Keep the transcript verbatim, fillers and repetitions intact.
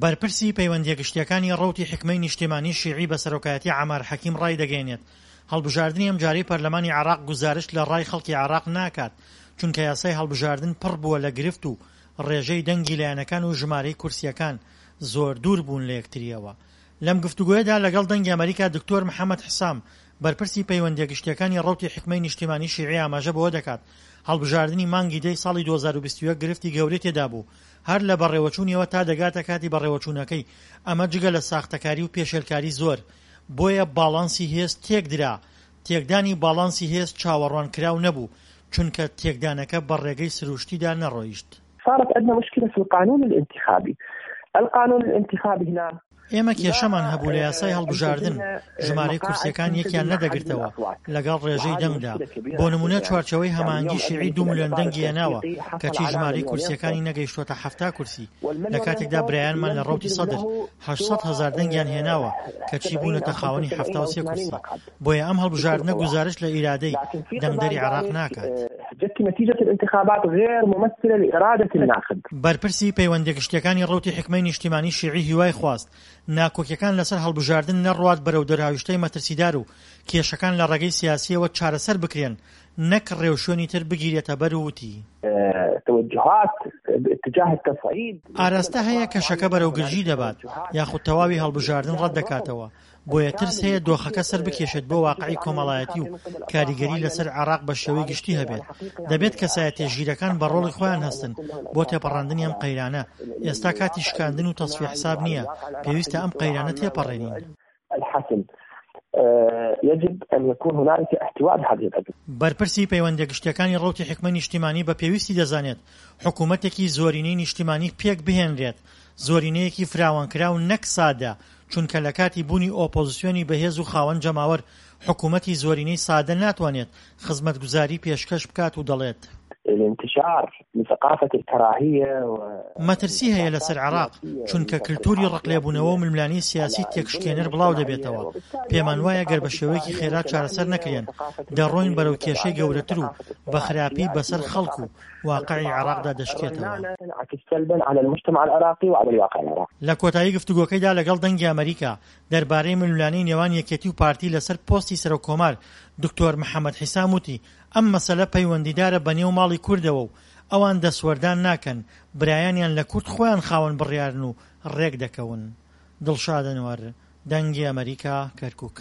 بەرپرسی پەیوەندییە گشتییەکانی ڕەوتی حیکمەی نیشتیمانی شیعی بە سەرۆکایەتی عەمار حەکیم ڕایدەگەیەنێت، هەڵبژاردنی ئەمجارەی پەرلەمانی عێراق گوزارشت لە ڕای خەڵکی عێراق ناکات، چونکە یاسای هەڵبژاردن پڕ بووە لە گرفت و ڕێژەی دەنگی لایەنەکان و ژمارەی کورسییەکان زۆر دوور بوون لە یەکترییەوە. لەم گفتوگۆیەدا لەگەڵ دەنگی ئەمەریکا دکتۆر محەمەد حسام بەرپرسی پەیوەندییە گشتییەکانی ڕەوتی حیکمەی نیشتیمانی شیعی ئاماژە بەوە دەکات هەڵبژاردنی مانگی دەی ساڵی دوو هەزار و بیست و یەک گرفتی گەورەی تێدابوو هەر لە بەڕێوەچوونیەوە تا دەگاتە کاتی بەڕێوەچوونەکەی، ئەمە جگە لە ساختەکاری و پێشێلکاری زۆر، بۆیە باڵانسی هێز تێکدرا، تێکدانی باڵانسی هێز چاوەڕوانکراو نەبوو، چونکە تێکدانەکە بە ڕێگەی سروشتیدا نەڕۆیشت. صارت عندنا مشكلة في القانون الانتخابي القانون الانتخابي هنا ئێمە کێشەمان هەبوو لە یاسای هەڵبژاردن، ژمارەی کورسییەکان یەکیان نەدەگرتەوە لەگەڵ ڕێژەی دەنگدا، بۆ نموونە چوارچێوەی هەماهەنگی شیعی دوو ملیۆن دەنگی هێناوە، کەچی ژمارەی کورسییەکانی نەگەیشتووەتە حەفتا کورسی، لە کاتێکدا برایانمان لە ڕەوتی سەدر هەشت سەد هەزار دەنگیان هێناوە، کەچی بوونەتە خاوەنی حەفتا و سێ کورسی. بۆیە ئەم هەڵبژاردنە گوزارشت لە ئیرادەی دەنگدەری عێراق ناکات. بەرپرسی پەیوەندیە گشتیەکانی ڕەوتی حیکمەی نیشتیمانی شیعی هیوای خواست ناکۆکیەکان لەسەر هەڵبژاردن نەڕوات بەرەو دەرهاویشتەی مەترسیدار و کێشەکان لە ڕێگەی سیاسیەوە چارەسەر بکرێن نەک ڕێوشوێنی تر بگیرێتە بەر و وتی، ئاراستە هەیە کەشەکە بەرەو گرژی دەبات یاخود تەواوی هەڵبژاردن ڕەتدەکاتەوە، بۆیە ترس هەیە دۆخەکە سەربکێشێت بۆ واقعی کۆمەڵایەتی و کاریگەری لەسەر عێراق بە شێوەی گشتی هەبێت. دەبێت کەسایەتیە ژیرەکان بە ڕۆڵی خۆیان هەستن بۆ تێپەڕاندنی ئەم قەیرانە. ئێستا کاتی شکاندن و تەسفیە حساب نییە، پێویستە ئەم قەیرانە تێپەڕێنین. بەرپرسی پەیوەندیە گشتیەکانی ڕەوتی حیکمەی نیشتیمانی بە پێویستی دەزانێت حکومەتێکی زۆرینەی نیشتیمانی پێک بهێنرێت، زۆرینەیەکی فراوانکراو نەک سادە، چونکە لە کاتی بوونی ئۆپۆزسیۆنی بەهێز و خاوەن جەماوەر حکومەتی زۆرینەی سادە ناتوانێت خزمەتگوزاری پێشکەش بکات و دەڵێت. مەترسی هەیە لەسەر عێراق، چونکە کلتوری ڕقلێبوونەوە و ململانێی سیاسی تێکشکێنەر بڵاودەبێتەوە، پێمانوایە گەر بە شێوەیەکی خێرا چارەسەر نەکرێن، دەڕۆین بەرەو کێشەی گەورەتر و بە خراپی بەسەر خەڵک و واقعی عێراقدا دەشکێتەوە. لە کۆتایی گفتوگۆکەیدا لەگەڵ دەنگی ئەمەریکا دەربارەی ململانێی نێوان یەکێتی و پارتی لەسەر پۆستی سەرۆک کۆمار، دکتۆر محەمەد حیسام وتی، ئەم مەسەلە پەیوەندیدارە بە نێو ماڵی کوردەوە و ئەوان دەستوەردان ناکەن، برایانیان لە کورد خۆیان خاوەن بڕیارن و رێکدەکەون. دڵشاد ئەنوەر، دەنگی ئەمەریکا، کەرکوک.